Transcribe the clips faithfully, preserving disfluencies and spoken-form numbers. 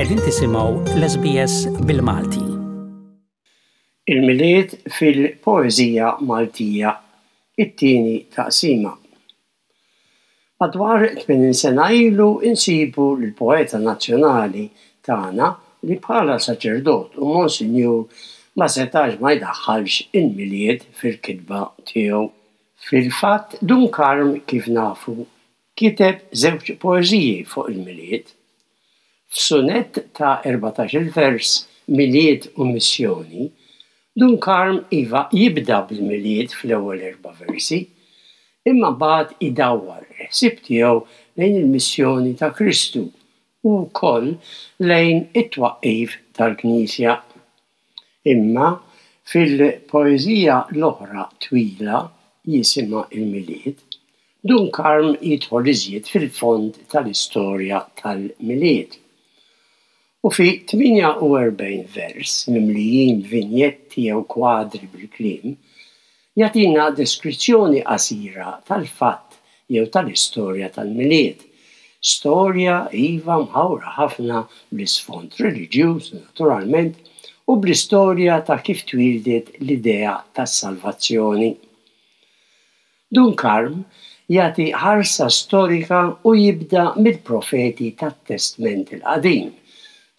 Qegħdin tisimgħu l-S B S bil-Malti. Il-Milied fil-poeżija Maltija, it-tieni taqsima. Madwar tmenin sena ilu insibu l-poeta nazzjonali tagħna li bħala saċerdot u monsinjur ma setax ma jdaħħalx il-Milied fil-kitba tiegħu. Fil-fatt, Dun Karm, kif nafu, kiteb żewġ poeżiji fuq il-Milied. F'sunett ta' erbatax-il vers, Milied u Missjoni, Dun Karm, iva, jibda bil-Milied fl-ewwel erba' versi, imma mbagħad idawwar il-ħsieb tiegħu lejn il-missjoni ta' Kristu u wkoll lejn it-twaqqif tal-Knisja. Imma fil-poeżija l-oħra twila jisimha Il-Milied, Dun Karm jidħol iżjed fil-fond tal-istorja tal-Milied. U fi tmienja u erbgħin vers mimlijin vinjetti jew kwadri bil-kliem, jagħtina deskrizzjoni qasira tal-fatt jew tal-istorja tal-Milied. Storja, iva, mħawra ħafna bl-isfond reliġjuż, naturalment, u bl-istorja ta' kif twildet l-idea tas-salvazzjoni. Dun Karm jagħti ħarsa storika u jibda mill-profeti tat-Testment il-Qadim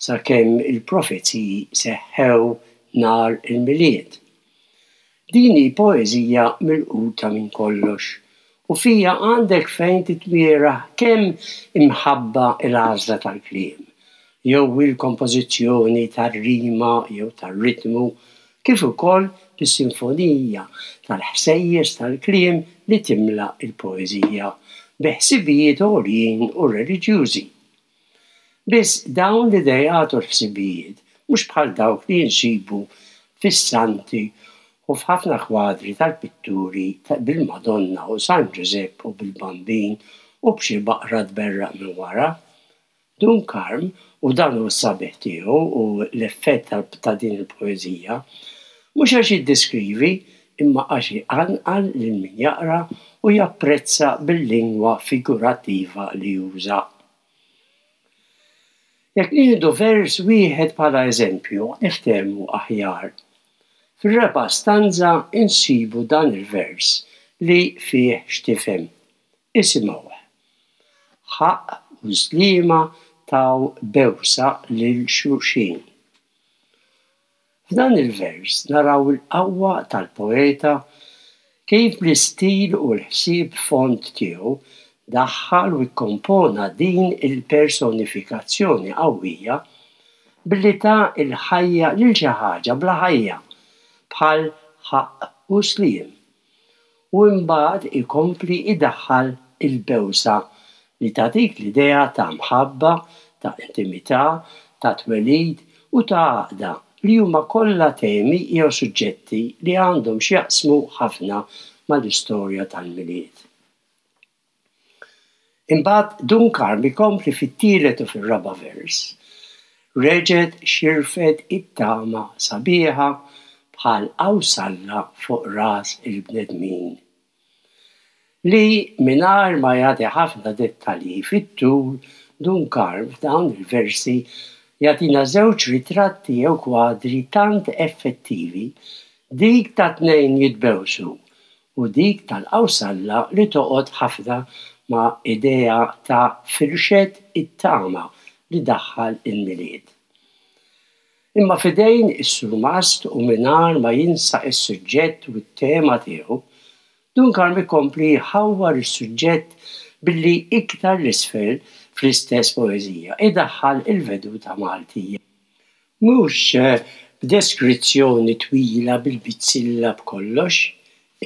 sakemm il-profeziji seħħew nhar il-Milied. Din hi poeżija milquta minn kollox u fija għandek fejn titmiera kemm imħabba il-għażla tal-kliem, jew il-kompożizzjoni tar-rima jew tar-ritmu, kif ukoll bis-sinfonija tal-ħsejjes tal-kliem li timla il-poeżija bi ħsibijiet għoljin u reliġjużi. Biss dawn l-idejat u l-ħsibijiet mhux bħal dawk li jinsibu fis-santi u f'ħafna kwadri tal-pitturi bil-Madonna u San Ġużepp u bil-Bambin u b'xi baqra tberraq minn wara. Dun Karm, u dan hu s-sabiħ tiegħu u l-effett ta' din il-poeżija, mhux għax jiddeskrivi imma għax iqanqal lil min jaqra u japprezza bil-lingwa figurattiva li juża. Jekk nieħdu vers wieħed bħala eżempju, niftehmu aħjar. Fir-raba' stanza insibu dan il-vers li fih x'tifhem. Isimgħuh. Ħaqq u Sliema taw bewsa lil xulxin. F'dan il-vers naraw il-qawwa tal-poeta, kif bl-istil u l-ħsieb fond tiegħu daħħal u ikkompona din il-personifikazzjoni qawwija billi ta il-ħajja lil xi ħaġa bla ħajja bħal ħaqq u sliem. U imbagħad ikompli idaħħal il-bewsa li tagħtik l-idea ta' mħabba, ta' intimità, ta' twelid u ta' għaqda, li huma kollha temi jew suġġetti li għandhom x'jaqsmu ħafna mal-istorja tal-Milied. Imbagħad Dun Karm ikompli fit-tielet u fir-raba' vers. Reġgħet xirfet it-tama sabiħa bħal qawsalla fuq ras il-bnedmin. Li mingħajr ma jagħti ħafna dettalji fit-tul, Dun Karm f'dawn il-versi jagħtina żewġ ritratti jew kwadri tant effettivi, dik ta' tnejn jitbewsu u dik tal-qawsalla li toqgħod ħafna ma' idea ta' firxet it-tama li daħħal il-Milied. Imma f'idejn is-surmast u mingħajr ma jinsa is-suġġett u t-tema tiegħu, Dun Karm ikompli jħawwar is-suġġett billi iktar 'l isfel fl-istess poeżija idaħħal il-veduta Maltija. Mhux b'deskrizzjoni twila bil-bizzilla b'kollox,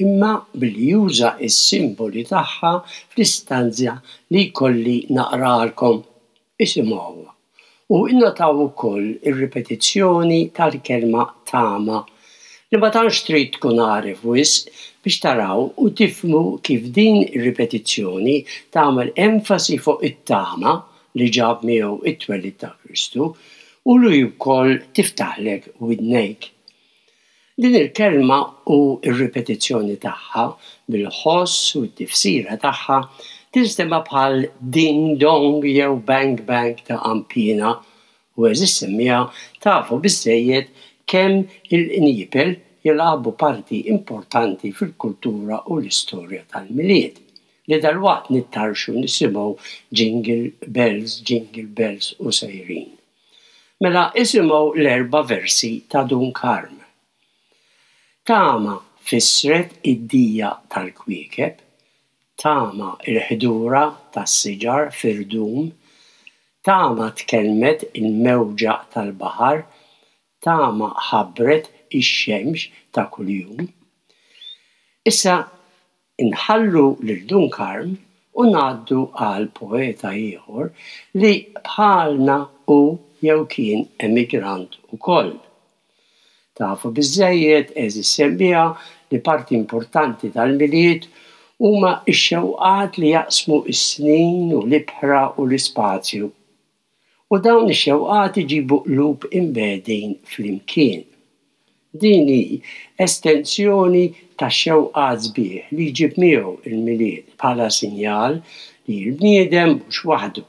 imma billi juża s-simboli tagħha fl-istanza li jkolli naqralkom. Isimgħuha. U innotaw ukoll ir-ripetizzjoni tal-kelma tama, li ma tantx trid tkun għaref wisq biex taraw u tifhmu kif din ir-ripetizzjoni tagħmel enfasi fuq it-tama li ġab miegħu it-twelid ta' Kristu u li wkoll tiftaħlek widnejk. Din il-kelma u r-ripetizzjoni tagħha bil-ħoss u t-tifsira tagħha tinstema' bħal ding dong jew bang bang ta' qanpiena. U għeżież semmiegħa, tafu biżżejjed kemm il-qniepel jilagħbu parti importanti fil-kultura u l-istorja tal-Milied, li dalwaqt nittarxu nisimgħu "Jingle Bells, Jingle Bells" u sejrin. Mela isimgħu l-erba' versi ta' Dun Karm. Tama fissret id-dija tal-kwiekeb, tama il-ħdura tas-siġar fir-rdum, tama tkellmet il-mewġa tal-baħar, tama ħabbret ix-xemx ta' kuljum. Issa inħallu lil Dun Karm u ngħaddu għal poeta ieħor li bħalna hu jew kien emigrant ukoll. Tafu biżżejjed, għeżież semmiegħa, li parti importanti tal-Milied huma x-xewqat li jaqsmu s-snin u l-ibħra u l-ispazju. U dawn ix-xewqat iġibu qlub imbegħdin flimkien. Din hi estensjoni tax-xewqat sbieħ li jġib miegħu il-Milied bħala sinjal li l-bniedem mhux waħdu,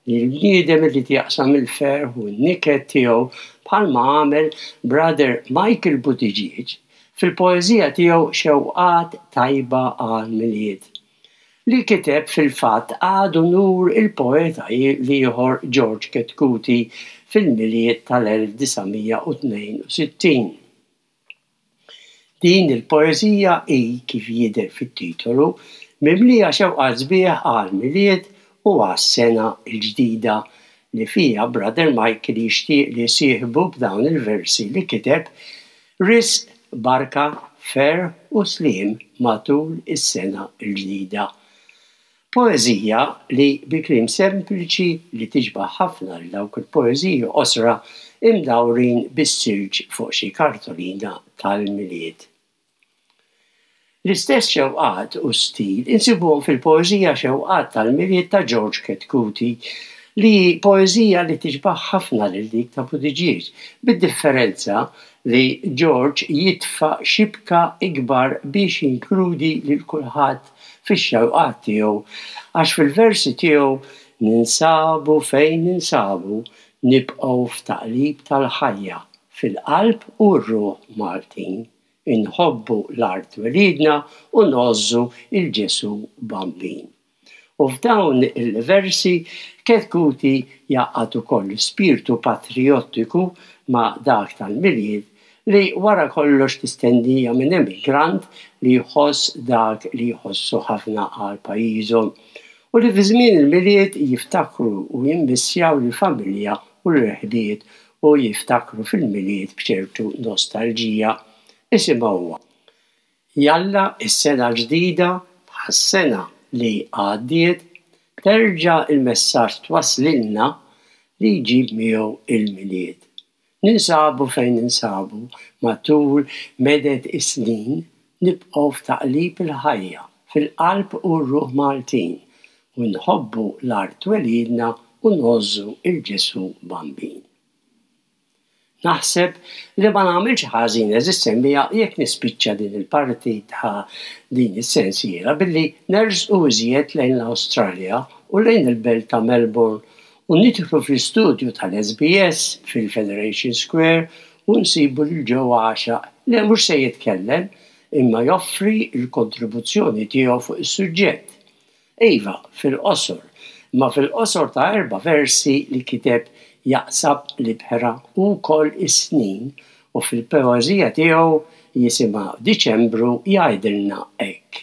li l-bniedem irid jaqsam il-ferħ u n-niket tiegħu, bħalma għamel Brother Michael Buttigieg fil-poeżija tiegħu "Xewqat Tajba għal Milied", li kiteb fil-fatt għadu nur il-poeta l-ieħor George Chetcuti fil-Milied tal-elf disa' mija u tnejn u sittin. Din il-poeżija hi, kif jidher fit-titolu, mimlija xewqat sbieħ għal Milied u għas-sena l-ġdida, li fija Brother Michael jixtieq li sieħbu b'dawn il-versi li kiteb risq, barka, ferħ u sliem matul is-sena l-ġdida. Poeżija li bi kliem sempliċi li tixbaħ ħafna lil dawk il-poeżiji qosra imdawrin bis-silġ fuq xi kartolina tal-Milied. L-istess xewqat u stil insibuhom fil-poeżija "Xewqat tal-Milied" ta' George Chetcuti, li poeżija li tixbaħ ħafna lil dik ta' Buttigieg, bid-differenza li George jitfa' xibka ikbar biex jinkludi lil kulħadd fix-xewqat tiegħu, għax fil-versi tiegħu ninsabu fejn ninsabu, nibqgħu f'taqlib tal-ħajja, fil-qalb u r-ruħ Maltin. Inħobbu l-art twelidna u ngħożżu 'l Ġesù Bambin. U f'dawn il-versi Chetcuti jgħaqqad ukoll spiritu patriottiku ma' dak tal-Milied, li wara kollox tistennija minn emigrant li jħoss dak li jħossu ħafna għal pajjiżhom u li fi żmien il-Milied jiftakru u jimmissjaw lill-familja u l-ħbieb u jiftakru fil-Milied b'ċertu nostalġija. Isimgħuha. Jalla is-sena ġdida bħas-sena li għaddiet terġa' il-messaġġ twaslilna li jġib miegħu il-Milied. Ninsabu fejn ninsabu matul meded is-snin, nibqgħu f'taqlib il-ħajja, fil-qalb u r-ruħ Maltin, u nħobbu l-art twelidna u ngħożżu 'l Ġesù Bambin. Naħseb li ma nagħmilx ħażin, għeżież semmiegħa, jekk nispiċċa din il-parti ta' din is-sensiela billi nersqu iżjed lejn l-Awstralja u lejn il-belt ta' Melbourne u nidħlu fl-istudju tal-S B S fil-Federation Square u nsibu lil Joe Axiaq, li mhux se jitkellem imma joffri il-kontribuzzjoni tiegħu fuq is-suġġett. Iva, fil-qosor, ma fil-qosor ta' erba' versi li kiteb jaqsam l-ibħra u wkoll is-snin, u fil-poeżija tiegħu jisimha "Diċembru" jgħidilna hekk.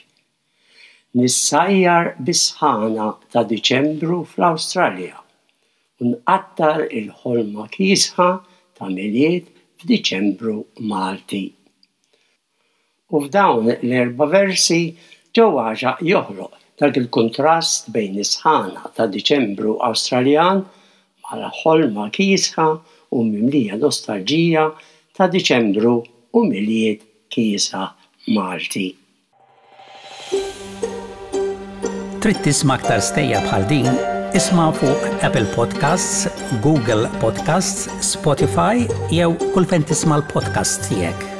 Nissajjar bis-sħana ta' Diċembru fl-Awstralja u nqattar il-ħolma kiesħa ta' Milied f'Diċembru Malti. U f'dawn l-erba' versi Joe Axiaq joħloq dak il-kontrast bejn is-sħana ta' Diċembru Awstraljan mal-ħolma kiesħa u mimlija nostalġija ta' Diċembru u Milied kiesaħ Malti. Trid tisma' aktar stejjer bħal din? Isma' fuq Apple Podcasts, Google Podcasts, Spotify jew kull fejn tisma' l-podcast tiegħek.